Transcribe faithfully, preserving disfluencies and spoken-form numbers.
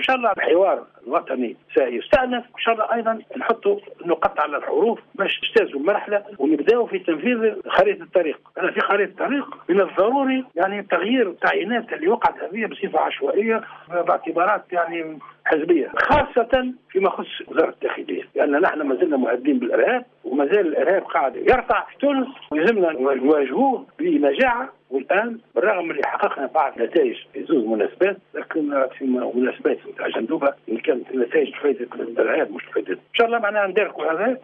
شاء الله الحوار الوطني سيستأنف، وان شاء الله ايضا نحطوا النقط على الحروف باش نجتازوا المرحلة ونبداوا في تنفيذ خريطة الطريق. انا في خريطة الطريق من الضروري يعني تغيير التعيينات اللي وقعت هذه بصفة عشوائية باعتبارات يعني حزبية، خاصة فيما يخص وزارة الداخليه، لان نحن ما زلنا مهددين بالارهاب وما زال الارهاب قاعد يرتع في تونس ويلزمنا نواجهوه بنجاعه. والان بالرغم من اللي حققنا بعض النتائج في زوج مناسبات، لكن في مناسبات نتاع جندوبه اللي كانت النتائج فائدة الارهاب مش فائدة. ان شاء الله معناها نداركوا هذا.